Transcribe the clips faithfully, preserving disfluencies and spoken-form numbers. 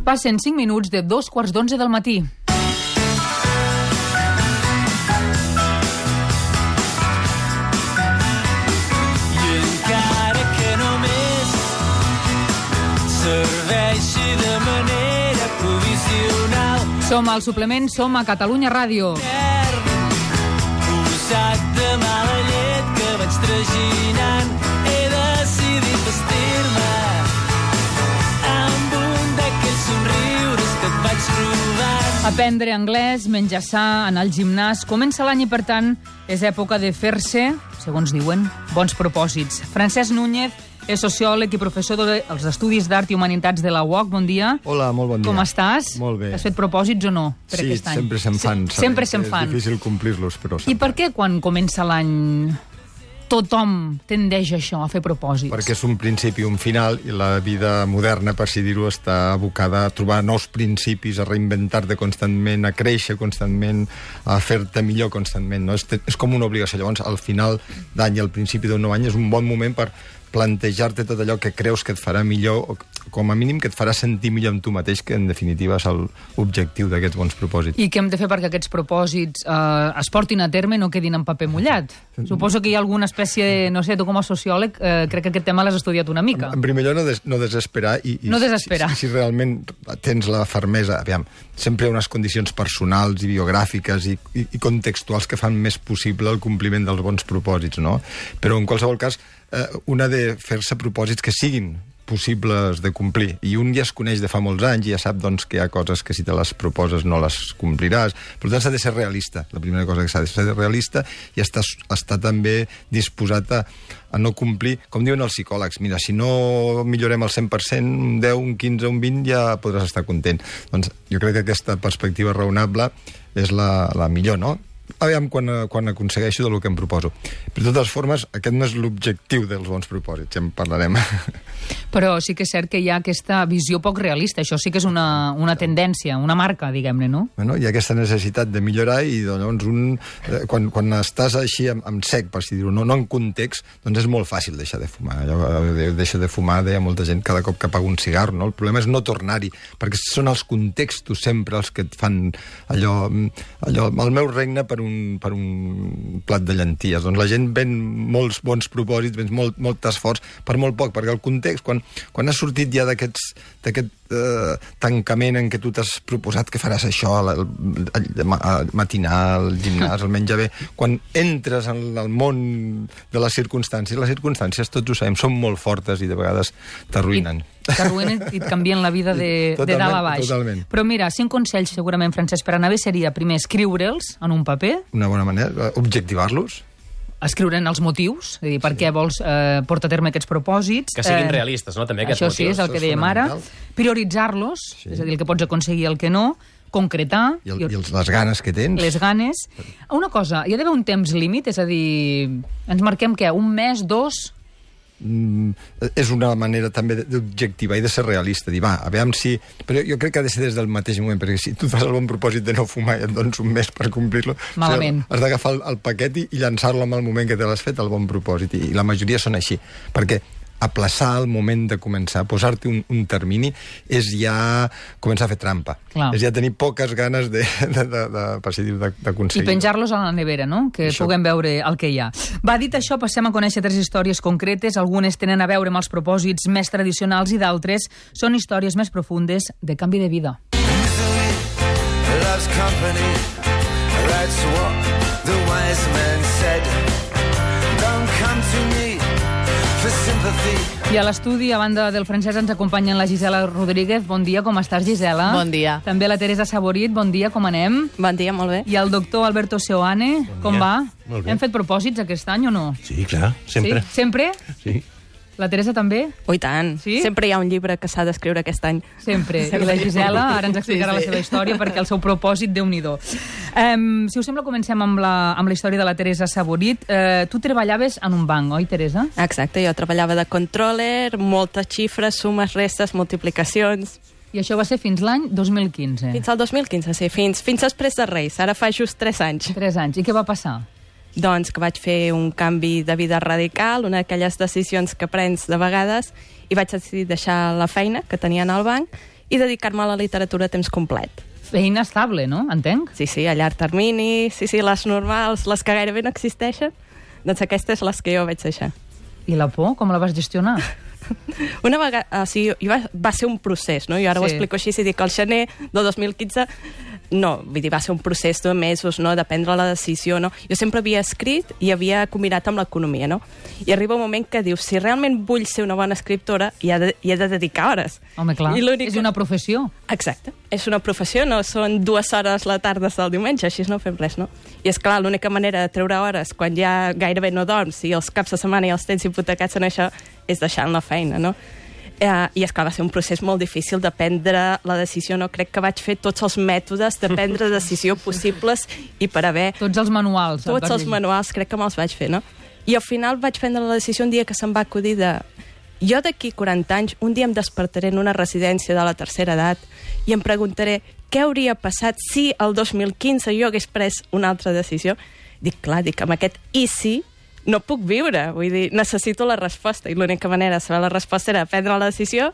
Passen cinc minuts de dos quarts d'onze del matí. I encara que només serveixi de manera provisional, Som al suplement, som a Catalunya Ràdio. posat de mala llet que vaig traginant, he decidit vestir-me amb un d'aquells somriures que et vaig robant. Aprendre anglès, menjar sa, anar al gimnàs... Comença l'any i, per tant, és època de fer-se, segons diuen, bons propòsits. Francesc Núñez és sociòleg i professor dels Estudis d'Art i Humanitats de la U O C. Bon dia. Hola, molt bon dia. Com estàs? Molt bé. Has fet propòsits o no per sí, aquest any? sempre se'n fan. Sí, sempre se'n fan. És difícil complir-los, però... I per què quan comença l'any tothom tendeix a això, a fer propòsits? Perquè és un principi i un final, i la vida moderna, per si dir-ho, està abocada a trobar nous principis, a reinventar-te constantment, a créixer constantment, a fer-te millor constantment. No? És, és com una obligació. Llavors, al final d'any i al principi d'un nou any és un bon moment per plantejar-te tot allò que creus que et farà millor, o com a mínim que et farà sentir millor amb tu mateix, que en definitiva és l'objectiu d'aquests bons propòsits. I què hem de fer perquè aquests propòsits eh, es portin a terme i no quedin en paper mullat? Suposo que hi ha alguna espècie de... No sé, tu com a sociòleg eh, crec que aquest tema l'has estudiat una mica. En primer lloc, no, des, no desesperar. I, i no desesperar. Si, si, si realment tens la fermesa... Aviam, sempre hi ha unes condicions personals i biogràfiques i, i, i contextuals que fan més possible el compliment dels bons propòsits, no? Però en qualsevol cas, eh, una de fer-se propòsits que siguin possibles de complir. I un ja es coneix de fa molts anys i ja sap doncs, que hi ha coses que si te les proposes no les compliràs. Per tant, s'ha de ser realista. La primera cosa que s'ha de ser realista i estar, estar també disposat a, a no complir, com diuen els psicòlegs, mira, si no millorem el cent per cent, un deu, un quinze, un vint, ja podràs estar content. Doncs jo crec que aquesta perspectiva raonable és la, la millor, no? Aviam quan, quan aconsegueixo del que em proposo. Però de totes formes, aquest no és l'objectiu dels bons propòsits, ja en parlarem. Però sí que és cert que hi ha aquesta visió poc realista. Això sí que és una, una tendència, una marca, diguem-ne, no? Bueno, hi ha aquesta necessitat de millorar i llavors un, quan, quan estàs així amb, amb sec, per si dir-ho, no, no en context, doncs és molt fàcil deixar de fumar. Allò, deixa de fumar, deia molta gent, cada cop que apaga un cigar, no? El problema és no tornar-hi, perquè són els contextos sempre els que et fan allò... allò el meu regne per un, per un plat de llenties. Doncs la gent ven molts bons propòsits, ven molt, molt esforç per molt poc, perquè el context, quan, quan has sortit ja d'aquest eh, tancament en què tu t'has proposat que faràs això, el, el, el matinar, el gimnàs, el menjar bé, quan entres en el món de les circumstàncies, les circumstàncies, tots ho sabem, són molt fortes i de vegades t'arruïnen. T'arruïnen i et canvien la vida de, de dalt a baix. Totalment. Però mira, cinc consells segurament, Francesc, per anar bé seria primer escriure'ls en un paper. Una bona manera, objectivar-los. Escriure'n els motius, és a dir, per què vols eh, portar a terme aquests propòsits. Que siguin eh, realistes, no?, també aquests això motius. sí, és el que dèiem ara. Prioritzar-los, sí. És a dir, el que pots aconseguir i el que no, concretar... I, el, i els, les ganes que tens. Les ganes. Una cosa, hi ha d'haver un temps límit, és a dir, ens marquem què, un mes, dos... Mm, és una manera també d'objectivar i de ser realista, dir, va, a veure si... Però jo crec que ha de ser des del mateix moment, perquè si tu fas el bon propòsit de no fumar i et dones un mes per complir-lo... Malament. O sigui, has d'agafar el, el paquet i, i llançar-lo en el moment que te l'has fet, el bon propòsit, i, i la majoria són així, perquè aplaçar el moment de començar, posar-te un, un termini, és ja començar a fer trampa. Clar. És ja tenir poques ganes de, de, de, de, per si dir, d'aconseguir. I penjar-los a la nevera, no?, que això... puguem veure el que hi ha. Va, dit això, passem a conèixer tres històries concretes. Algunes tenen a veure amb els propòsits més tradicionals i d'altres són històries més profundes de canvi de vida. Loves company, that's what the wise man said. Don't come to me for sympathy. I a l'estudi, a banda del Francesc, ens acompanyen la Gisela Rodríguez. Bon dia, com estàs, Gisela? Bon dia. També la Teresa Saborit. Bon dia, com anem? Bon dia, molt bé. I el doctor Alberto Seoane. Bon com dia. va? Molt bé. Hem fet propòsits aquest any o no? Sí, clar, sempre. Sí? Sempre? Sí. La Teresa també? Oh, i tant. Sí? Sempre hi ha un llibre que s'ha d'escriure aquest any. Sempre. I la Gisela ara ens explicarà Sí, sí. la seva història perquè el seu propòsit, Déu-n'hi-do. Um, si us sembla, comencem amb la, amb la història de la Teresa Saborit. Uh, tu treballaves en un banc, oi, Teresa? Exacte, jo treballava de controller, moltes xifres, sumes, restes, multiplicacions... I això va ser fins l'any dos mil quinze. Fins al dos mil quinze, sí, fins, fins després de Reis. Ara fa just tres anys. Tres anys. I què va passar? Doncs que vaig fer un canvi de vida radical, una d'aquelles decisions que prens de vegades, i vaig decidir deixar la feina que tenia en el banc i dedicar-me a la literatura a temps complet. Feina estable, no? Entenc? Sí, sí, a llarg termini, sí, sí, les normals, les que gairebé no existeixen, doncs aquestes les que jo vaig deixar. I la por, com la vas gestionar? Una vegada, o sigui, va, va ser un procés, no? Jo ara sí. ho explico així, si dic el gener del dos mil quinze, no, vull dir, va ser un procés de mesos, no?, de prendre la decisió, no? Jo sempre havia escrit i havia combinat amb l'economia, no? I arriba un moment que dius, si realment vull ser una bona escriptora, hi ha de, hi ha de dedicar hores. Home, clar, és una professió. Exacte, és una professió, no són dues hores la tarda del diumenge, així no fem res, no? I és clar, l'única manera de treure hores quan ja gairebé no dorms i els caps de setmana i els tens hipotecats en això és deixant la feina, no? Uh, I, esclar, va ser un procés molt difícil de prendre la decisió. No crec que vaig fer tots els mètodes de prendre decisió possibles i per haver... Tots els manuals. Tots els manuals, crec que me'ls vaig fer, no? I al final vaig prendre la decisió un dia que se'm va acudir de... Jo d'aquí quaranta anys, un dia em despertaré en una residència de la tercera edat i em preguntaré què hauria passat si el dos mil quinze jo hagués pres una altra decisió. Dic, clar, dic, amb aquest i si... no puc viure, vull dir, necessito la resposta, i l'única manera de saber la resposta era prendre la decisió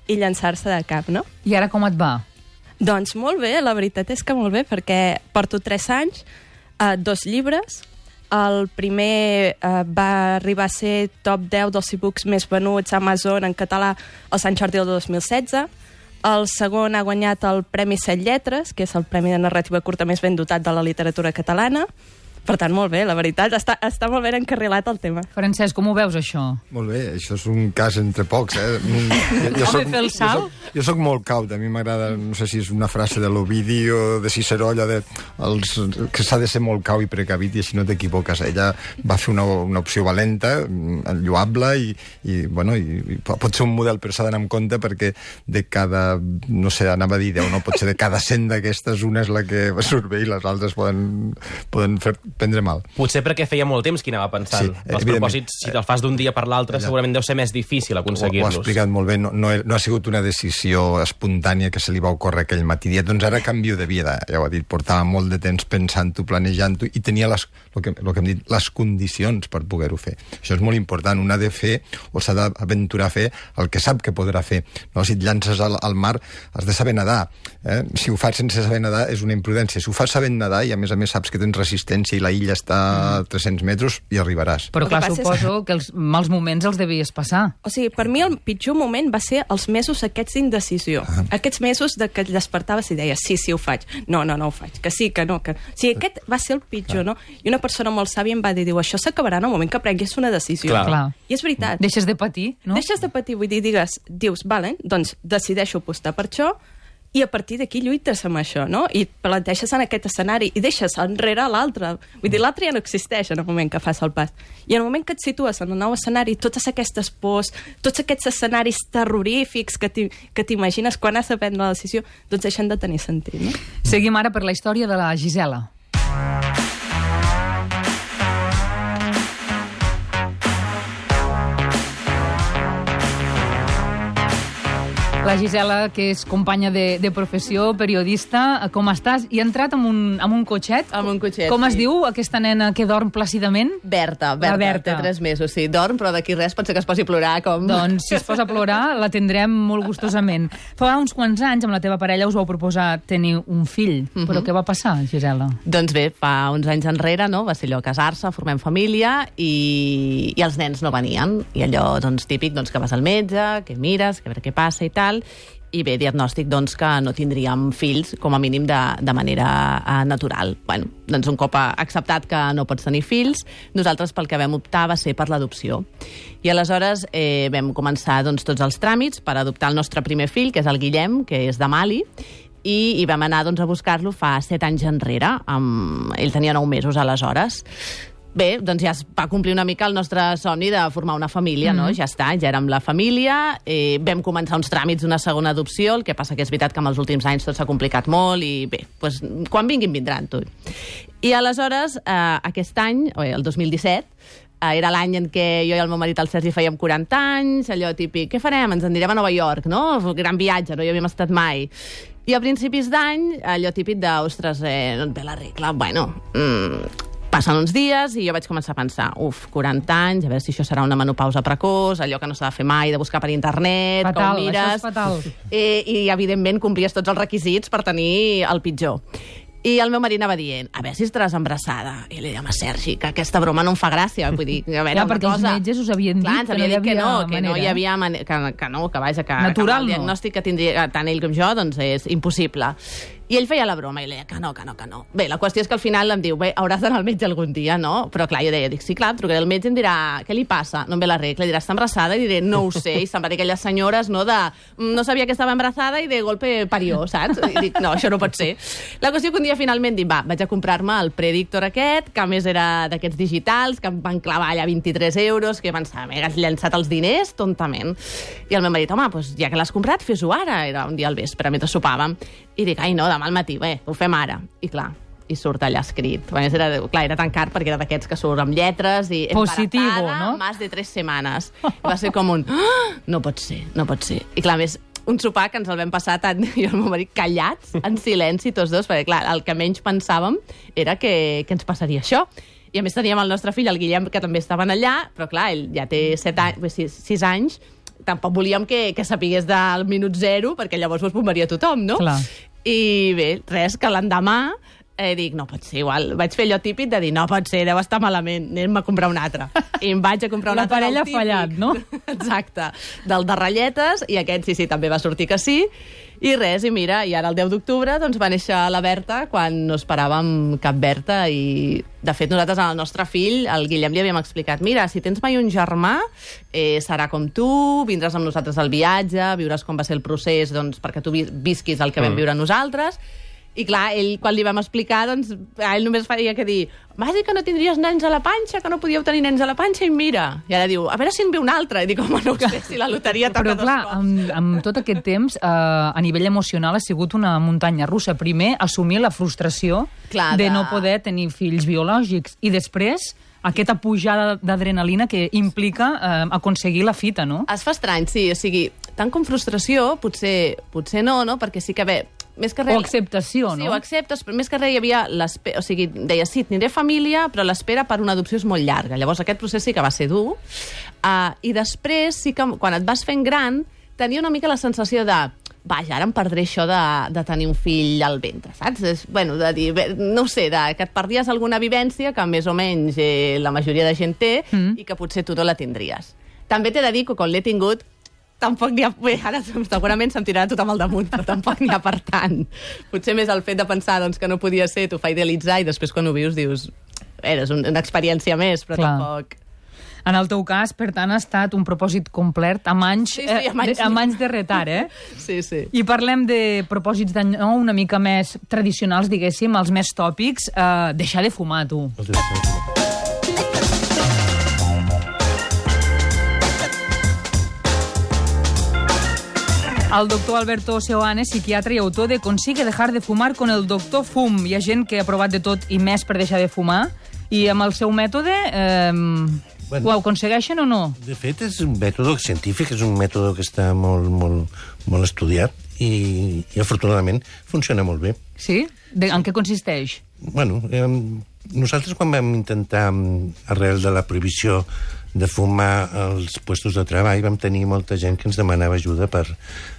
i llançar-se de cap, no? I ara com et va? Doncs molt bé, la veritat és que molt bé, perquè porto tres anys, eh, dos llibres, el primer eh, va arribar a ser top deu dels e-books més venuts a Amazon en català al Sant Jordi del dos mil setze, el segon ha guanyat el Premi Set Lletres, que és el premi de narrativa curta més ben dotat de la literatura catalana. Per tant, molt bé, la veritat, està, està molt ben encarrilat el tema. Francesc, com ho veus, això? Molt bé, això és un cas entre pocs, eh? Jo, jo soc, fer el salt? Jo soc, jo soc molt caut, a mi m'agrada, no sé si és una frase de l'Ovidi o de Ciceró, allò de els, que s'ha de ser molt cau i precavit i així no t'equivoques. Ella va fer una, una opció valenta, lloable, i, i, bueno, i, i pot ser un model, però s'ha d'anar amb compte perquè de cada, no sé, anava a dir deu, no pot ser de cada cent d'aquestes, una és la que surt bé i les altres poden, poden fer prendre mal. Potser perquè feia molt temps que anava pensant. Sí, els propòsits, si te'ls fas d'un dia per l'altre, segurament deu ser més difícil aconseguir-los. Ho, ho ha explicat molt bé. No, no, no ha sigut una decisió espontània que se li va ocórrer aquell matí. Doncs ara canvio de vida. Ja ho ha dit, portava molt de temps pensant-ho, planejant-ho, i tenia les, el, que, el que hem dit, les condicions per poder-ho fer. Això és molt important. Un ha de fer, o s'ha d'aventurar a fer, el que sap que podrà fer. No? Si et llances al, al mar, has de saber nedar. Eh? Si ho fas sense saber nedar, és una imprudència. Si ho fas sabent nedar, i a més a més saps que tens resistència i la illa està a tres-cents metres, i arribaràs. Però clar, suposo és... que els mals moments els devies passar. O sigui, per mi el pitjor moment va ser els mesos aquests d'indecisió. Ah. Aquests mesos de que despertaves i deies, sí, sí, ho faig. No, no, no ho faig. Que sí, que no. Que... O sigui, aquest va ser el pitjor, ah. no? I una persona molt sàvia em va dir, diu, això s'acabarà en el moment que prenguis una decisió. Clar. Clar. I és veritat. Deixes de patir, no? Deixes de patir, vull dir, digues, dius, vale, doncs decideixo apostar per això, i a partir d'aquí lluites amb això, no? I planteges en aquest escenari i deixes enrere l'altre. Vull dir, l'altre ja no existeix en el moment que fas el pas. I en el moment que et situes en un nou escenari, totes aquestes pors, tots aquests escenaris terrorífics que t'imagines quan has de prendre la decisió, doncs deixen de tenir sentit, no? Seguim ara per la història de la Gisela. La Gisela, que és companya de, de professió, periodista, com estàs? I ha entrat amb un, amb un cotxet? Amb un cotxet, Com es sí. diu aquesta nena que dorm plàcidament? Berta, Berta, Berta. té tres mesos, sí. Dorm, però d'aquí res pot ser que es posi a plorar, com... Doncs, si es posa a plorar, la tindrem molt gustosament. Fa uns quants anys, amb la teva parella, us vau proposar tenir un fill. Uh-huh. Però què va passar, Gisela? Doncs bé, fa uns anys enrere, no?, va ser allò casar-se, formem família, i, i els nens no venien. I allò, doncs, típic, doncs, que vas al metge, que mires, que a veure què passa i tal... I bé, diagnòstic, doncs, que no tindríem fills, com a mínim de, de manera uh, natural. Bueno, doncs un cop acceptat que no pots tenir fills, nosaltres pel que vam optar va ser per l'adopció. I aleshores eh, vam començar doncs, tots els tràmits per adoptar el nostre primer fill, que és el Guillem, que és de Mali, i, i vam anar doncs, a buscar-lo fa set anys enrere. Amb... Ell tenia nou mesos aleshores. Bé, doncs ja es va complir una mica el nostre somni de formar una família, no? Mm-hmm. Ja està, ja érem la família, eh, vam començar uns tràmits d'una segona adopció, el que passa que és veritat que en els últims anys tot s'ha complicat molt i bé, doncs, quan vinguin vindran, tu. I aleshores, eh, aquest any, el dos mil disset, eh, era l'any en què jo i el meu marit, el Sergi, fèiem quaranta anys, allò típic, què farem? Ens en anirem a Nova York, no? Gran viatge, no hi havíem estat mai. I a principis d'any, allò típic de, ostres, eh, no et ve la regla, bueno... Mm, passen uns dies i jo vaig començar a pensar, uf, quaranta anys, a veure si això serà una menopausa precoç, allò que no s'ha de fer mai, de buscar per internet, fatal, com mires... Això és fatal. Eh, I, evidentment, complies tots els requisits per tenir el pitjor. I el meu marit anava dient, a veure si estaràs embarassada. I li deia, home, Sergi, que aquesta broma no em fa gràcia. Vull dir, a veure, ja, perquè cosa... els metges us havien dit, Clar, que, no dit que no, manera. que no hi havia manera, que, que no, que vaja, que, natural, que el diagnòstic que tindria tant ell com jo, doncs és impossible. I ell feia la broma i li deia que no, que no, que no. Bé, la qüestió és que al final em diu, bé, hauràs d'anar al metge algun dia, no? Però clar, jo deia, dic, sí, clar, trucaré al metge i em dirà, què li passa? No em ve la regla, dirà, està embarassada? I diré, no ho sé, i se'n va dir aquelles senyores, no, de, no sabia que estava embarassada i de golpe parió, saps? I dic, no, això no pot ser. La qüestió que un dia finalment dic, va, vaig a comprar-me el Predictor aquest, que a més era d'aquests digitals, que em van clavar allà vint-i-tres euros, que jo pensava, m'he llançat els diners tontament. I el meu marit, home, doncs ja que l'has comprat, fes-ho ara. Era un dia al vespre, mentre sopàvem. I dic, ai, no, demà al matí, bé, ho fem ara. I clar, i surt allà escrit. A més, era, clar, era tan car perquè era d'aquests que surt amb lletres i positivo, no? Más de tres setmanes. Va ser com un, ah, no pot ser, no pot ser. I clar, a més, un sopar que ens el vam passar tant jo i el meu marit callats, en silenci, tots dos, perquè clar, el que menys pensàvem era que, que ens passaria això. I a més teníem el nostre fill, el Guillem, que també estaven allà, però clar, ell ja té set anys, sis, sis anys, tampoc volíem que, que sapigués del minut zero, perquè llavors us bombaria tothom, no? Clar. I bé, res, que l'endemà eh, dic, no pot ser igual. Vaig fer allò típic de dir, no pot ser, deu estar malament, anem a comprar un altre. I em vaig a comprar un La altre. parella ha fallat, no? Exacte. Del de ratlletes, i aquest sí, sí, també va sortir que sí. I res, i mira, i ara el deu d'octubre doncs, va néixer la Berta quan no esperàvem cap Berta i, de fet, nosaltres al nostre fill, el Guillem, li havíem explicat, mira, si tens mai un germà, eh, serà com tu, vindràs amb nosaltres al viatge, viuràs com va ser el procés doncs, perquè tu visquis el que vam viure nosaltres. I clar, ell, quan li vam explicar, doncs, a ell només faria que dir, vas dir que no tindries nens a la panxa, que no podíeu tenir nens a la panxa, i mira. I ara diu, a veure si en ve un altre. I dic, home, no ho sé, si la loteria toca Però dos clar, cops. amb, amb tot aquest temps, eh, a nivell emocional ha sigut una muntanya russa. Primer, assumir la frustració Clar, de... de no poder tenir fills biològics. I després, aquesta pujada d'adrenalina que implica eh, aconseguir la fita, no? Es fa estrany, sí. O sigui, tant com frustració, potser, potser no, no? Perquè sí que bé, més que res... O acceptació, sí, no? Sí, o acceptes, però més que res hi havia l'espera... O sigui, deia, sí, tindré família, però l'espera per una adopció és molt llarga. Llavors aquest procés sí que va ser dur. Uh, I després, sí que quan et vas fent gran, tenia una mica la sensació de... Vaja, ara em perdré això de, de tenir un fill al ventre, saps? És, bueno, de dir, bé, no ho sé, de, que et perdies alguna vivència que més o menys eh, la majoria de gent té mm. i que potser tu no la tindries. També t'he de dir que quan l'he tingut tampoc n'hi ha... Bé, ara segurament se'm tirarà tothom al damunt, però tampoc n'hi ha per tant. Potser més el fet de pensar doncs, que no podia ser, t'ho fa idealitzar, i després quan ho vius dius... Bé, és un, una experiència més, però Clar. tampoc... En el teu cas, per tant, ha estat un propòsit complet amb anys, Sí, sí, amb anys. eh, de, amb anys de retard, eh? Sí, sí. I parlem de propòsits d'any nou una mica més tradicionals, diguéssim, els més tòpics. Eh, deixar de fumar, tu. El doctor Alberto Seoane, psiquiatre i autor de Consigue dejar de fumar con el doctor Fum. Hi ha gent que ha provat de tot i més per deixar de fumar, i amb el seu mètode eh, bueno, ho aconsegueixen o no? De fet, és un mètode científic, és un mètode que està molt, molt, molt estudiat i, i afortunadament funciona molt bé. Sí? De, en què consisteix? Bueno, eh, nosaltres quan vam intentar, arrel de la prohibició de fumar als puestos de treball, vam tenir molta gent que ens demanava ajuda per,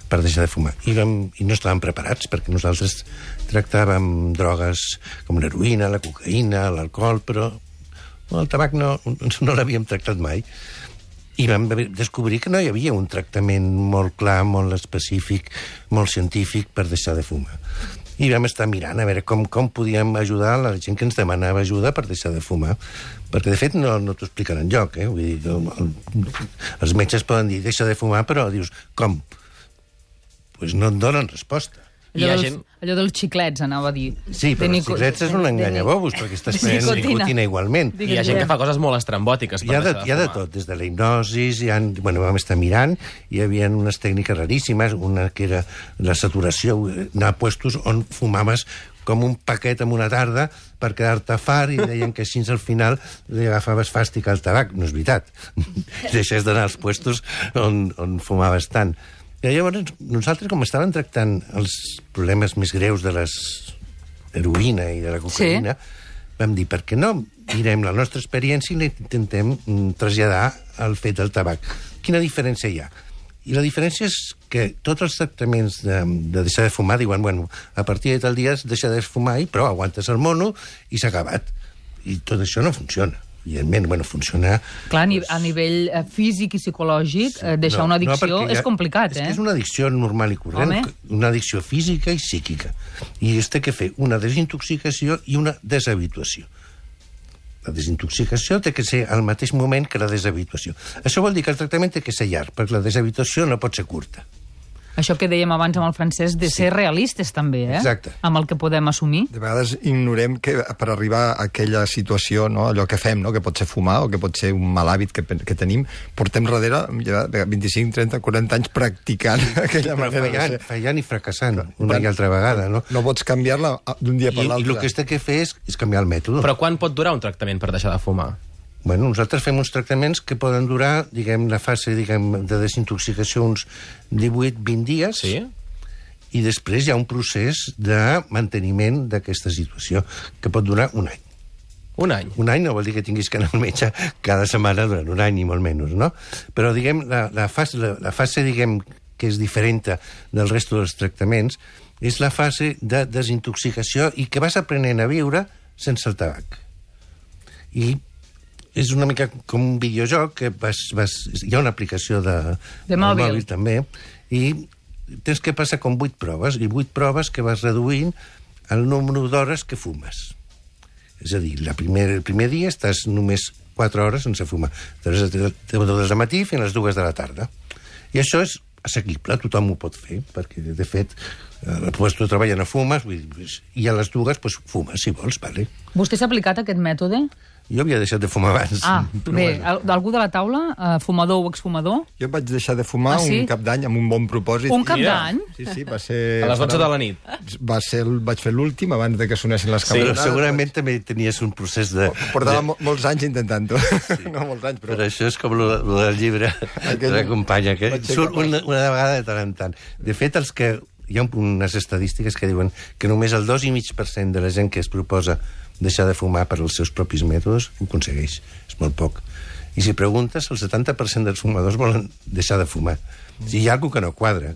per deixar de fumar. I, vam, I no estàvem preparats, perquè nosaltres tractàvem drogues com l'heroïna, la cocaïna, l'alcohol, però el tabac no, no l'havíem tractat mai. I vam descobrir que no hi havia un tractament molt clar, molt específic, molt científic per deixar de fumar. I vam estar mirant a veure com, com podíem ajudar la gent que ens demanava ajuda per deixar de fumar. Perquè, de fet, no, no t'ho expliquen enlloc, eh? Vull dir, el, el, els metges poden dir deixa de fumar, però dius, com? Doncs pues no et donen resposta. Allò, Hi ha dels, gent... allò dels xiclets, anava a dir. Sí, però els xiclets és un enganyabobos, perquè estàs prenent nicotina igualment. I hi ha gent que fa coses molt estrambòtiques per Hi ha, de, deixar de hi ha de fumar. tot, des de la hipnosis, hi ha, bueno, vam estar mirant, hi havia unes tècniques raríssimes, una que era la saturació, anar a puestos on fumaves com un paquet en una tarda per quedar-te far, i deien que així al final li agafaves fàstic al tabac. No és veritat. Deixes d'anar als puestos on, on fumaves tant. I llavors, nosaltres, com estàvem tractant els problemes més greus de les heroïna i de la cocaïna, sí. vam dir, per què no mirem la nostra experiència i intentem traslladar el fet del tabac? Quina diferència hi ha? I la diferència és que tots els tractaments de, de deixar de fumar diuen, bueno, a partir de tal dia has deixat de fumar i prou, aguantes el mono i s'ha acabat. I tot això no funciona. Evidentment, bueno, funciona... Clar, doncs... a nivell físic i psicològic, sí, deixar no, una addicció no, és complicat, és eh? És una addicció normal i corrent, Home. una addicció física i psíquica. I es té que fer una desintoxicació i una deshabituació. La desintoxicació té que ser al mateix moment que la deshabituació. Això vol dir que el tractament té que ser llarg, perquè la deshabituació no pot ser curta. Això que dèiem abans amb el francès, de ser sí. realistes també, eh? Exacte. Amb el que podem assumir. De vegades ignorem que per arribar a aquella situació, no, allò que fem, no, que pot ser fumar o que pot ser un mal hàbit que, que tenim, portem darrere ja vint-i-cinc, trenta, quaranta anys practicant aquella manera fallant, de ser. Fallant i fracassant una i altra vegada, no? No pots canviar-la d'un dia per l'altre. I el que es té que fer és, és canviar el mètode. Però quan pot durar un tractament per deixar de fumar? Bueno, nosaltres fem uns tractaments que poden durar, diguem, la fase diguem, de desintoxicació uns divuit a vint dies, sí? I després hi ha un procés de manteniment d'aquesta situació, que pot durar un any. Un any? Un any no vol dir que tinguis que anar al metge cada setmana durant un any, ni molt menys, no? Però, diguem, la, la, fase, la, la fase, diguem, que és diferent del resto dels tractaments, és la fase de desintoxicació i que vas aprenent a viure sense el tabac. I és una mica com un videojoc que vas, vas, hi ha una aplicació de, de mòbil. mòbil també, i tens que passar com vuit proves, i vuit proves que vas reduint el número d'hores que fumes. És a dir, la primer, el primer dia estàs només quatre hores sense fumar, des del matí fins a les dues de la tarda. I això és assequible, tothom ho pot fer, perquè, de fet, pues, tu treballes no fumes, i a les dues pues, fumes, si vols, vale? Vostè s'ha aplicat aquest mètode? Jo havia deixat de fumar abans. Ah, bé, algú de la taula, uh, fumador o exfumador? Jo vaig deixar de fumar ah, sí? un cap d'any amb un bon propòsit. Un cap d'any? Sí, sí, va ser... A les dotze de la nit. Va ser, vaig fer l'últim abans de que sonessin les campanes. Sí, segurament també tenies un procés de... Portava de... molts anys intentant-ho. Sí. No molts anys, però... Però això és com lo, lo del llibre Aquell... de companya, que surt una, una vegada de tant en tant. De fet, els que... hi ha unes estadístiques que diuen que només el dos i mig per cent de la gent que es proposa deixar de fumar per als seus propis mètodes ho aconsegueix. És molt poc. I si preguntes, el setanta per cent dels fumadors volen deixar de fumar. O sigui, hi ha alguna que no quadra.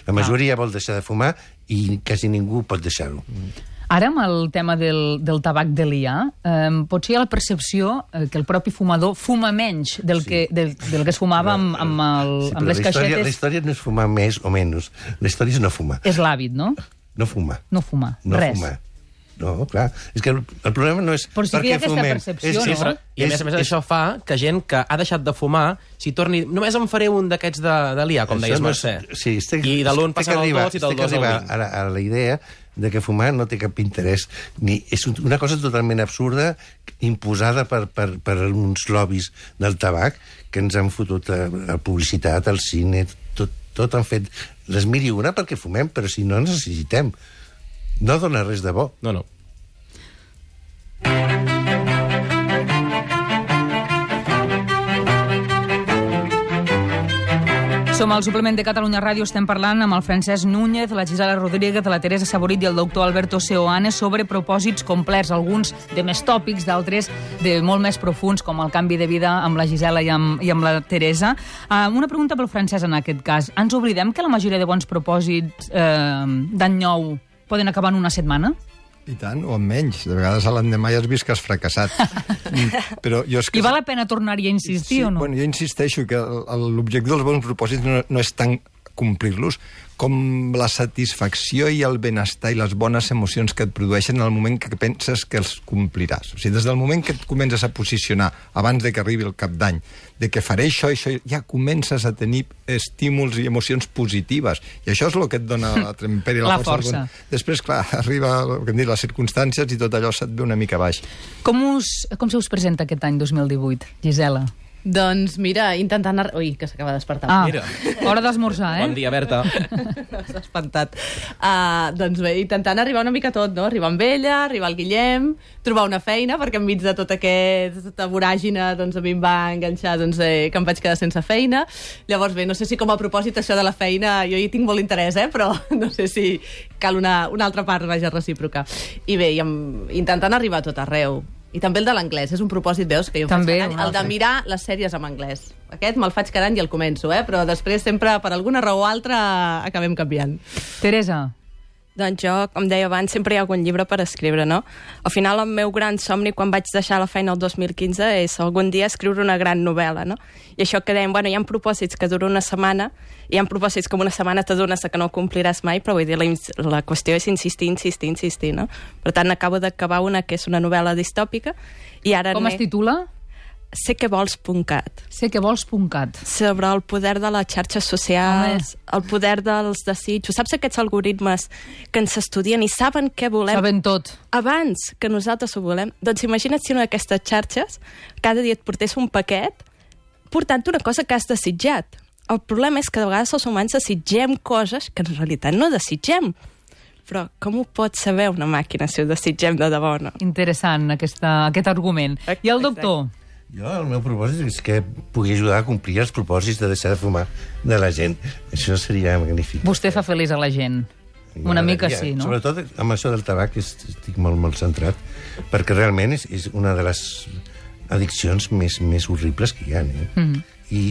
La majoria vol deixar de fumar i quasi ningú pot deixar-ho. Ara, amb el tema del, del tabac d'Elià, eh, potser hi ha la percepció eh, que el propi fumador fuma menys del, sí. que, del, del que es fumava amb, amb, el, sí, amb les la història, caixetes... La història no és fumar més o menys. La història és no fumar. És l'hàbit, no? No fumar. No fumar, no res. Fumar. No, clar. És que el, el problema no és però sí per que hi ha què aquesta fumem. percepció, és, no? Sí, però, I a més a més això fa que gent que ha deixat de fumar, si torni... Només em faré un d'aquests d'Elià, com deies, no sé. Sí, estic, I de l'un passant al dos i del dos al vint. A, a la idea de que fumar no té cap interès. Ni, és una cosa totalment absurda, imposada per, per, per uns lobbies del tabac que ens han fotut a, a publicitat, al cine, tot, tot han fet les mil i una perquè fumem, però si no ens necessitem. No dona res de bo. No, no. Som al suplement de Catalunya Ràdio, estem parlant amb el Francesc Núñez, la Gisela Rodríguez, la Teresa Saborit i el doctor Alberto Seoane sobre propòsits complets, alguns de més tòpics, d'altres de molt més profuns, com el canvi de vida amb la Gisela i amb, i amb la Teresa. Uh, una pregunta pel Francesc en aquest cas. Ens oblidem que la majoria de bons propòsits eh, d'any nou poden acabar en una setmana? I tant, o en menys. De vegades a l'endemà ja has vist que has fracassat. Però jo és que... I val la pena tornar-hi a insistir sí, o no? Bueno, jo insisteixo que l'objectiu dels bons propòsits no, no és tant complir-los com la satisfacció i el benestar i les bones emocions que et produeixen en el moment que penses que els compliràs. O sigui, des del moment que et comences a posicionar abans de que arribi el cap d'any, de que faré això i això, ja comences a tenir estímuls i emocions positives. I això és el que et dona la trempera i la, la força. força. Després, clar, arriba el que hem dit, les circumstàncies i tot allò se't ve una mica baix. Com, us, com se us presenta aquest any dos mil divuit, Gisela? Doncs mira, intentant... Ar... Ui, que s'acaba de despertar. Ah, Mira. hora d'esmorzar, eh? Bon dia, Berta. S'ha espantat. Uh, doncs bé, intentant arribar una mica a tot, no? Arribar amb ella, arribar al Guillem, trobar una feina, perquè enmig de tota aquesta voràgina doncs, a mi em va enganxar doncs, eh, que em vaig quedar sense feina. Llavors bé, no sé si com a propòsit això de la feina, jo hi tinc molt interès, eh? Però no sé si cal una, una altra part, vaja, recíproca. I bé, i amb, intentant arribar a tot arreu. I també el de l'anglès, és un propòsit, veus, que jo També, faig cada any, el de mirar les sèries en anglès. Aquest me'l faig cada any i el començo, eh? Però després sempre, per alguna raó o altra, acabem canviant. Teresa. Doncs jo, com deia abans, sempre hi ha algun llibre per escriure, no? Al final, el meu gran somni, quan vaig deixar la feina el dos mil quinze, és algun dia escriure una gran novel·la, no? I això que dèiem, bueno, hi ha propòsits que duren una setmana, hi ha propòsits com una setmana t'adones que no compliràs mai, però vull dir, la, la qüestió és insistir, insistir, insistir, no? Per tant, acabo d'acabar una que és una novel·la distòpica, i ara... Com es titula? Sé que vols punt cat. Sé que vols punt cat. Sobre el poder de les xarxes socials, Home. el poder dels desitjos. Saps aquests algoritmes que ens estudien i saben què volem Saben tot. abans que nosaltres ho volem? Doncs imagina't si una d'aquestes xarxes cada dia et portés un paquet portant una cosa que has desitjat. El problema és que de vegades els humans desitgem coses que en realitat no desitgem. Però com ho pot saber una màquina si ho desitgem de debò o no? Interessant, aquesta, aquest argument. I el doctor? Jo, el meu propòsit és que pugui ajudar a complir els propòsits de deixar de fumar de la gent. Això seria magnífic. Vostè fa feliç a la gent. Una mica sí, no? Sobretot amb això del tabac estic molt, molt centrat, perquè realment és, és una de les addiccions més, més horribles que hi ha. Eh? Mm. I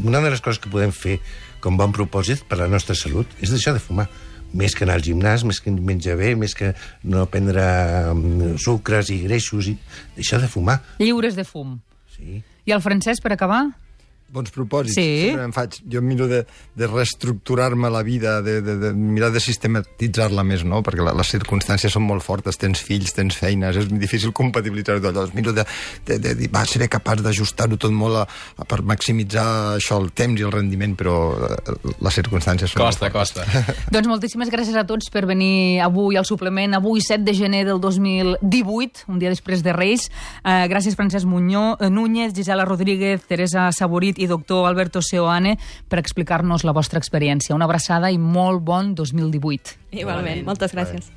una de les coses que podem fer com bon propòsit per a la nostra salut és deixar de fumar. Més que anar al gimnàs, més que menjar bé, més que no prendre sucres i greixos, i deixar de fumar. Lliures de fum. Sí. I el Francesc, per acabar? Bons propòsits. Sí. Sempre em faig. Jo miro de, de reestructurar-me la vida, de, de, de mirar de sistematitzar-la més, no? Perquè la, les circumstàncies són molt fortes. Tens fills, tens feines, és difícil compatibilitzar-ho tot. Llavors miro de, de, de dir, va, seré capaç d'ajustar-ho tot molt a, a, per maximitzar això, el temps i el rendiment, però eh, les circumstàncies són Costa, molt fortes. costa. Doncs moltíssimes gràcies a tots per venir avui al suplement, avui set de gener del dos mil divuit, un dia després de Reis. Eh, gràcies Francesc Muñoz, eh, Núñez, Gisela Rodríguez, Teresa Saborit i doctor Alberto Seoane per explicar-nos la vostra experiència. Una abraçada i molt bon dos mil divuit. Igualment, moltes gràcies.